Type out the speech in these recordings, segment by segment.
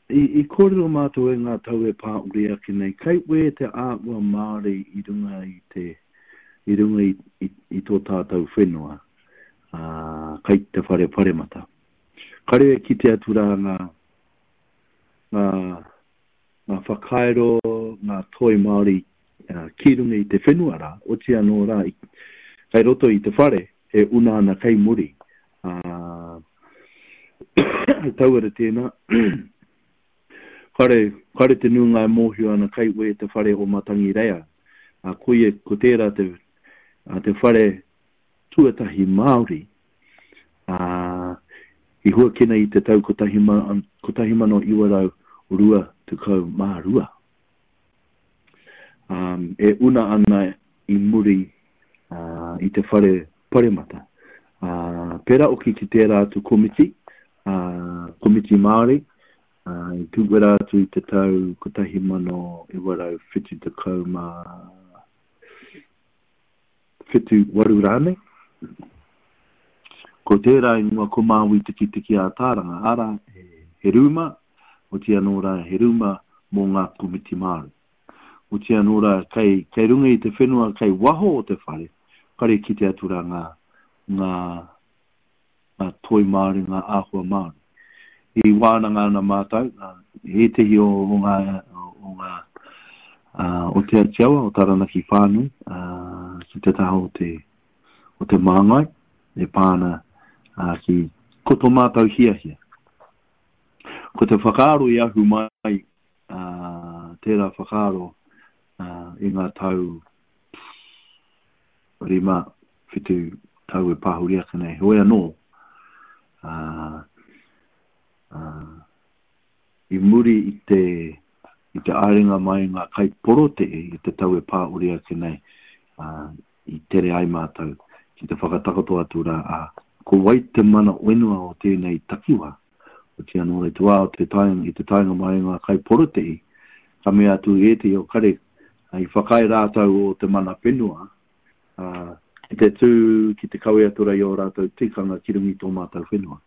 I, i kōrero mātou e ngā tau e pā uri ake nei, kei wē te āhua Māori i runga i te, i runga i, i, i tō tātou whenua, ā, kei te whare paremata. Kare e kite atu rā ngā, ngā, ngā whakairo, ngā toi Māori ki runga i te whenua rā, oti anō rā, kei roto i te whare e una ana kei muri, ā, he tauira tēnā, kare, kare te nuinga e mōhio ana kei wē te whare o Matangireia, ā, koia, ko tērā te, ā, te whare tuatahi Māori, ā, i huakina i te tau 1922. Ā, e una ana i muri i te whare paremata. Ā, pērā hoki ki tērā atu komiti, ā, komiti Māori, ā, i tūwera atu i te tau 1977 8 rānei. Ko tērā ingoa ko Māui Tikitiki ā Tāranga, arā, he rūma, oti anō rā he rūma mō ngā komiti Māori. Oti anō rā, kei, kei runga i te whenua, kei waho o te whare, kare kite atu rā ngā, ngā, ngā toi Māori, ngā āhua Māori. I wānanga ana mātou, ētehi o, o ngā, o ngā, o Te Atiawa, o Taranaki whānui, ki te taha o te, o te māngai, e pā ana ki, ko tō mātou hiahia. Ko te whakaaro i ahu mai, tērā whakaaro i ngā tau 5, 7 tau e pahuri ake nei. Heoi anō, ā, ā, i muri i te, i te aerenga mai ngā kaiporotēhi i te tau e pahuri ake nei, ā, i tere ai mātou ki te whakatakoto atu rā, ā, ko wai te mana whenua o tēnei takiwā? Otiia nō i te wā o te taenga, i te taenga mai o ngā kaiporotēhi, ka mea atu ētehi o kare, i whakaae rātou o te mana whenua, ā, ki te tū, ki te kawe atu rā i ō rātou tikanga ki runga i tō mātou whenua.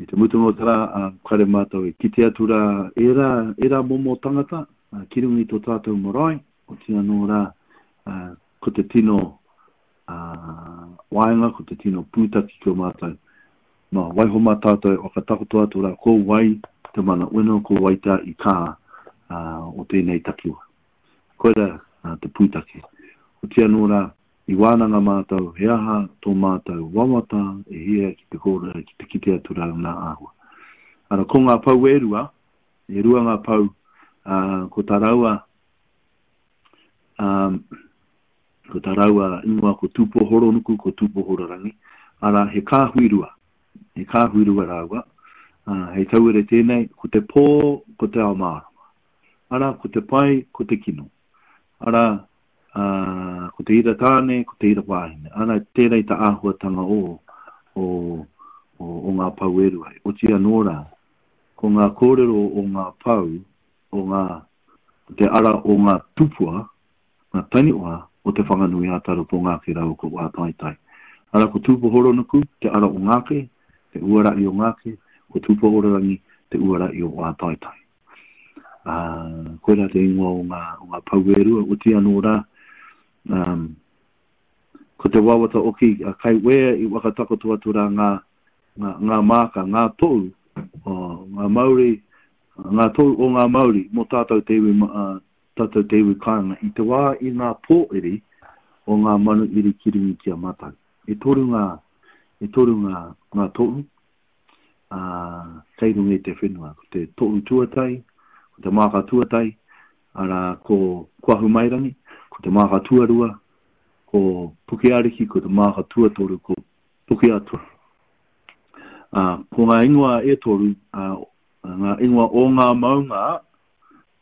I te mutunga o te rā, ā, kare mātou e kite atu rā ērā, ērā momo tangata, ā, ki runga i tō tātou marae, otiia nō rā, ā, ko te tino, ā, waenga, ko te tino pūtake ki o mātou. Nā, waiho mā tātou e whakatakoto atu rā ko wai te mana whenua, ko wai tā i kā ā, o tēnei takiwā. Koirā te pūtake. Otiia anō rā, i wānanga mātou he aha tō mātou wawata e hia ki te kōrero, ki te kite atu rā ngā āhua. Ara, ko ngā pou e rua, e rua ngā pou, ā, ko tā rāua, ā, ko tā rāua ingoa ko Tūpohoronuku, ko Tūpohororangi, arā, he kāhui rua, he kāhui rua rāua, ā, hei tauira tēnei, ko te pō, ko te ao mārama. Arā, ko te pai, ko te kino. Arā, ā, ko te ira tāne, ko te ira wāhine. Arā, tērā i te āhuatanga o, o, o, o ngā pou e rua. Oti anō rā, ko ngā kōrero o ngā pou, o ngā, o te ara o ngā tupua, ngā taniwha o Te Whanganui-ā-Tara ko Ngāke rāua ko Wātaitai. Arā, ko Tūpohoronuku, te ara o Ngāke, te uarahi o Ngāke, ko Tūpohororangi, te uarahi o Wātaitai. Ā, koirā te ingoa o ngā, o ngā pou e rua, oti anō rā, ā, ko te wawata oki, a kai wea i whakatakoto atu rā ngā, ngā, ngā māka, ngā tohu, o, ngā mauri, ngā tohu o ngā mauri mō tātou te iwi, ā, tātou te iwi kāinga i te wā i ngā pōiri o ngā manu iri ki runga ki a mātou. E toru ngā, e toru ngā, ngā tohu, ā, kei runga i te whenua. Ko te tohu tuatahi, ko te māka tuatahi, arā, ko Kuahumairangi, ko te māka tuarua, ko Pukeariki, ko te māka tuatoru, ko Pukeatua. Ā, ko ngā ingoa e toru, ā, ngā ingoa o ngā maunga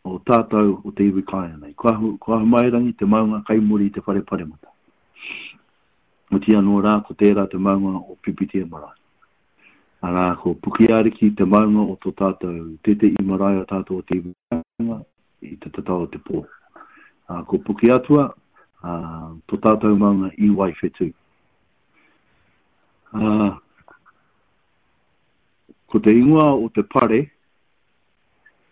o tātou o te iwi kāinga nei. Ko Ahu, ko Ahumairangi te maunga kei muri i te whare paremata. Oti anō rā, ko tērā te maunga o Pipitea marae. Arā, ko Pukeariki te maunga o tō tātou tētehi marae o tātou o te iwi kāinga i te tatau o te pō. Ā, ko Pukeatua, ā, tō tātou maunga i Waiwhetū. Ā, ko te ingoa o te pare,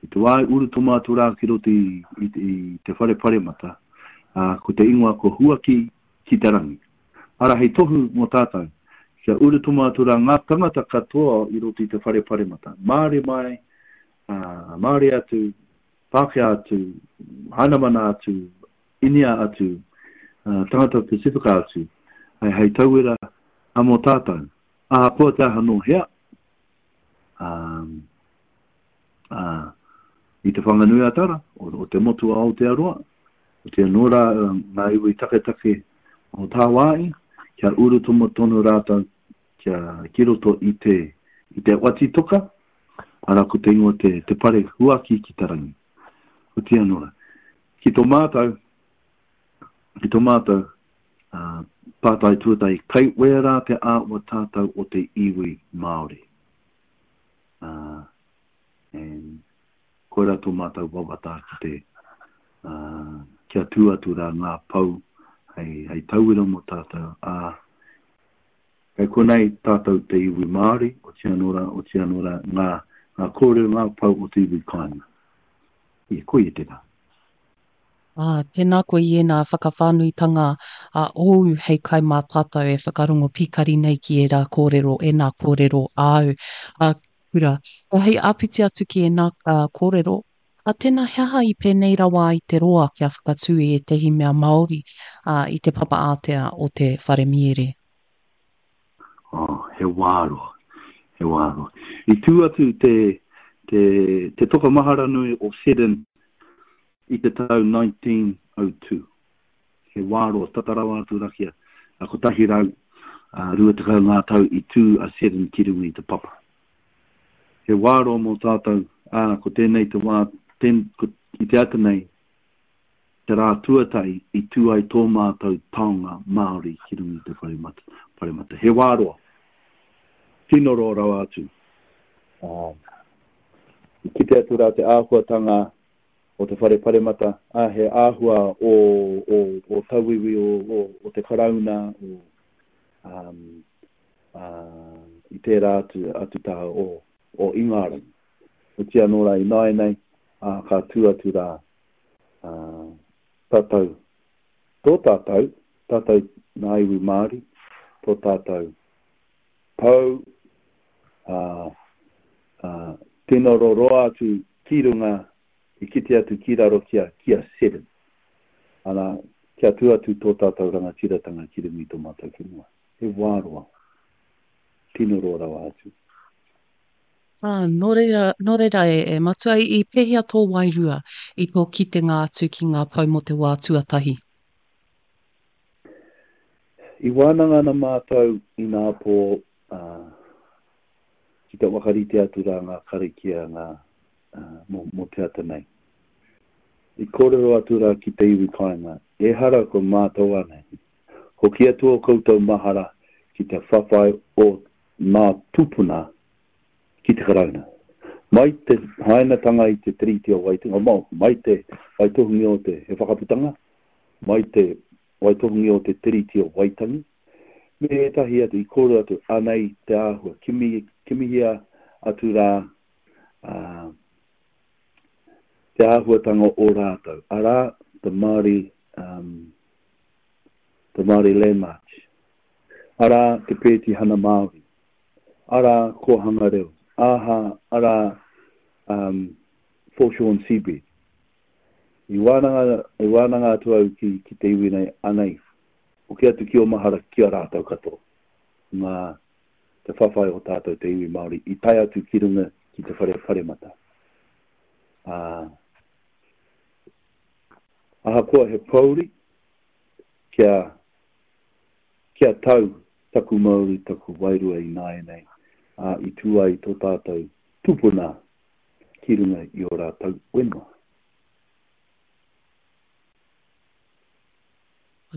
I te wā i urutoma atu rā ki roto i, i, i te whare paremata, ā, ko te ingoa ko Huaki ki te rangi. Arā hei tohu mō tātou, kia urutoma atu rā ngā tangata katoa i roto i te whare paremata, Māori mai, ā, Māori atu, Pākehā atu, Hainamana atu, Inia atu, ā, tangata Pasifika atu, hei, hei tauira mō tātou. Ahakoa te aha nō hea, ā, ā, i Te Whanganui-a-Tara, o, o te motu o Aotearoa, otirā anō rā ngā iwi taketake o tāwāhi, kia urutomo tonu rātou kia ki roto i te, i te oati toka, arā ko te ingoa te, te pare huaki ki te rangi. Otirā anō rā, ki tō mātou, ki tō mātou, ā, pātai tuatahi, kai wērā te āhua tātou o te iwi Māori? Ā, and koirā tō mātou wawata ki te, ā, kia tū atu rā ngā pou hei, hei tauira mō tātou, ā, kei konei tātou te iwi Māori, otirā anō rā, otirā anō rā, ngā, ngā kōrero, ngā pou o te iwi kāinga. Ia, koia tērā. Ā, tēnā koe i ēnā whakawhānuitanga a ōu hei kai mā tātou e whakarongo pīkari nei ki ērā kōrero, ēnā kōrero āu. Ā, Kura, hei āpiti atu ki ēnā kōrero, ā, tēnā he aha i pēnei rawa ai te roa kia whakatū i ētehi mea Māori, ā, i te papa ātea o te whare miere? Oh, he wā roa, he wā roa. I tū atu te, te, te toka mahara nui o Seddon I te tau 1902, he wā roa, tata rawa atu ra kia 120 ngā tau i tū a Seddon ki runga i te papa. He wā roa mō tātou, ā, ko tēnei te wā, ten, ko, i te ata nei, te rā tuatahi i tū ai tō mātou taonga Māori ki runga i te whare mata, whare mata. He wā roa. Tino roa rawa atu. Ā, i kite atu rā te āhuatanga o te whare paremata, ā, he āhua o, o, o tauiwi o, o, o te Karauna, o, um, ā, i tērā atu, atu taha o, o Ingarangi. Otirā anō rā ināianei, ā, ka tū atu rā, ā, tātou, tō tātou, tātou nā iwi Māori, tō tātou pou, ā, ā, tino roroa atu ki runga, i kite atu ki raro ki a, ki a Seddon. Ana, kia tū atu tō tātou rangatiratanga ki runga i tō mātou whenua. He wā roa. Tino roa rawa atu. Ā, nō reira, nō reira e, e Matua, i pēhea tō wairua i tō kitenga atu ki ngā pou mō te wā tuatahi? I wānanga ana mātou inapō, ā, ki te whakarite atu rā ngā karakia ngā, ā, mō, mō te ata nei. I kōrero atu rā ki te iwi kāinga, ehara ko mātou anei. Hoki atu ō koutou mahara ki te whawhai o ngā tūpuna ki te Karauna. Mai te hainatanga i te Tiriti o Waitangi, mai te waitohungi o te, he whakaputanga, mai te waitohungi o te Tiriti o Waitangi, me ētahi atu i kōrero atu, anei te āhua, kimi, kimihia atu rā, ā, te āhuatanga o rātou, arā, the Māori, um, the Māori Land March, arā, te Pētihana Māori, arā, Kōhanga Reo, aha, arā, um, Foreshore and Seabed. I wānanga, i wānanga atu au ki, ki te iwi nei, anei, hoki atu ki ō mahara ki a rātou katoa, ngā, te whawhai o tātou te iwi Māori i tae atu ki runga ki te whare paremata. Ā, ahakoa he pōuri, kia, kia tau taku mauri, taku wairua ināianei, ā, i tū ai tō tātou tupuna ki runga i ō rātou whenua.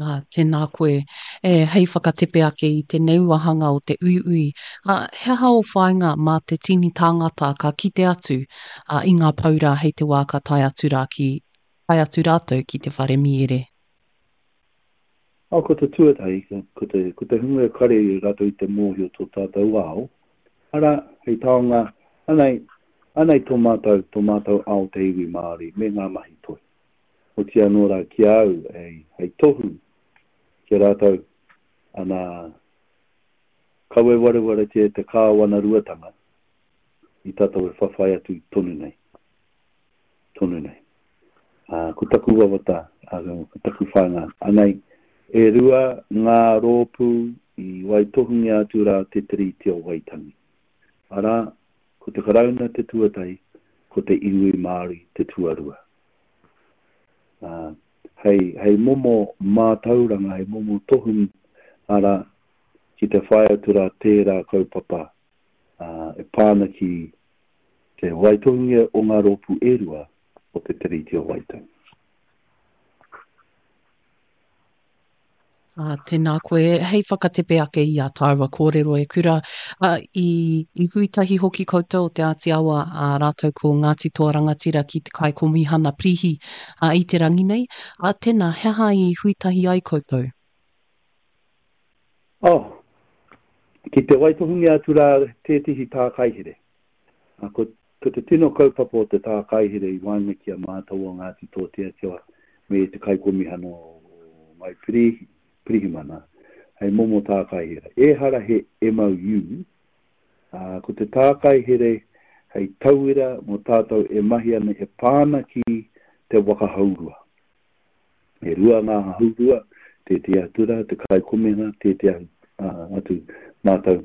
Ā, tēnā koe. E, hei whakatepe ake i tēnei wāhanga o te uiui, ā, he aha ō whāinga mā te tini tāngata ka kite atu ā, i ngā pou rā hei te wā ka tae atu rā ki, tae atu rātou ki te whare mīere? Ā, ko te tuatahi, ko te, ko te hunga kare rātou i te mōhio tō tātou ao, arā, hei taonga, anei, Anei tō mātou, tō mātou ao te iwi Māori me ngā mahi toi. Oti anō rā ki a au hei tohu ki a rātou, ana, kawe warewaretia te kāwanaruatanga i tātou e whawhai atu tonu nei. Tonu nei. Ā, ko taku wawata, ā, ko taku whāinga, anei, e rua ngā rōpū i waitohungia atu rā te Tiriti o Waitangi. Arā, ko te Karauna te tuatahi, ko te iwi Māori te tuarua. Ā, hei, hei momo mātauranga, hei momo tohu, arā, ki te whai atu rā tērā kaupapa, ā, e pā ana ki te waitohungia o ngā rōpū e rua o te Tiriti o Waitangi. Ā, tēnā koe. Hei whakatepe ake i ā tāua kōrero e Kura, ā, i, i hui tahi hoki koutou o Te Āti Awa, ā, rātou ko Ngāti Toa Rangatira ki te Kaikomihana Pirihi, ā, i te rangi nei. Ā, tēnā, he aha i hui tahi ai koutou? Oh, ki te waitohungia atu rā tētehi tākaihere. Ā, ko, ko te tino kaupapa o te tākaihere i waenga ki a mātou o Ngāti Tōteatewa me te Kaikomihana o Ngāi Pirihi, Pirihimana, hei momo tākaihere. Ehara he MOU, ā, ko te tākaihere hei tauira mō tātou e mahi ana e pā ana ki te waka hourua. E rua ngā haurua, tētehi atu rā, te kaikomena, tētehi atu mātou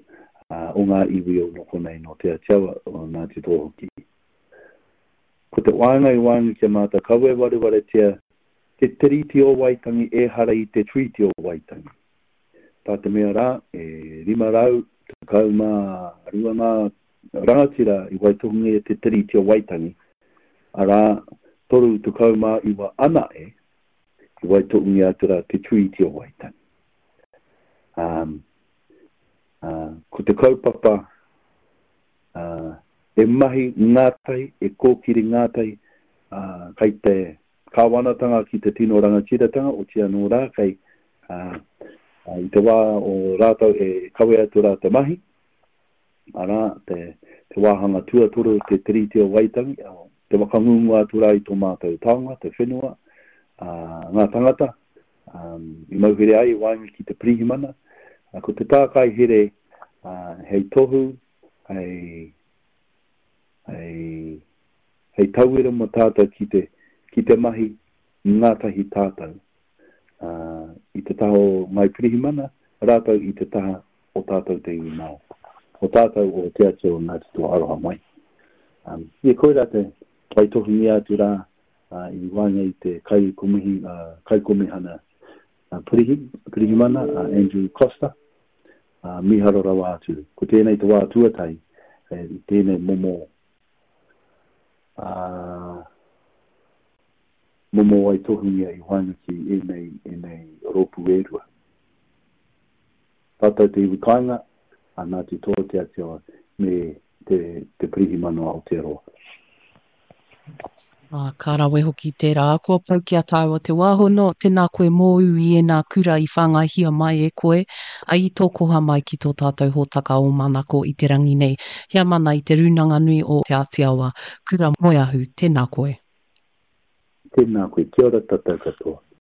o ngā iwi o nō konei nō Te Atiawa, o Ngāti Toa hoki. Ko te waenga i waenga ki a mātou, kawe warewaretia te Tiriti o Waitangi ehara i te Treaty o Waitangi. Tā te mea rā, e 512 ngā rangatira i waitohungia te Tiriti o Waitangi, arā, 39 anae i waitohungia atu rā te Treaty o Waitangi. Um, uh, ko te kaupapa uh, e mahi ngātahi, e kōkiri ngātahi, uh, kai te kāwanatanga ki te tino rangatiratanga, oti anō rā, kei uh, i te wā o rātou e kawe atu rā te mahi, arā, te, te wāhanga tuatoru o te Tiriti o Waitangi, te whakangungu atu rā i tō mātou taonga, te whenua, ā, ngā tangata, ā, i mauhere ai i waenga ki te pirihimana. Ā, ko te tākai here, ā, hei tohu, hei, hei, hei tauira mō tātou ki te, ki te mahi ngātahi tātou, ā, i te taha o Ngāi Pirihimana, rātou i te taha o tātou te iwi Māori, o tātou o Te Atua o Ngāti Toa Aroha mai. Um, ia koirā te waitohungia atu rā uh, i waenga i te kaikomihi, uh, kaikomihana uh, pirihi, pirihimana, uh, Andrew Coster, uh, miharo rawa atu. Ko tēnei te wā tuatahi eh, i tēnei momo uh, momo waitohungia i waenga ki ēnei, ēnei rōpū e rua. Tātou te iwi kāinga, a Ngāti Toa Te Atiawa me te, te Pirihimana o Aotearoa. Ā, ka rawe hoki tērā. Kua pau ki a tāua te wā hono, tēnā koe mōu i ēnā kura i whāngaihia mai e koe, ā, i tō koha mai ki tō tātou hōtaka o Manako i te rangi nei. Heamana i Te Rūnanga Nui o Te Atiawa, Kura Moeahu, tēnā koe. Tēnā koe, kia ora tātou katoa.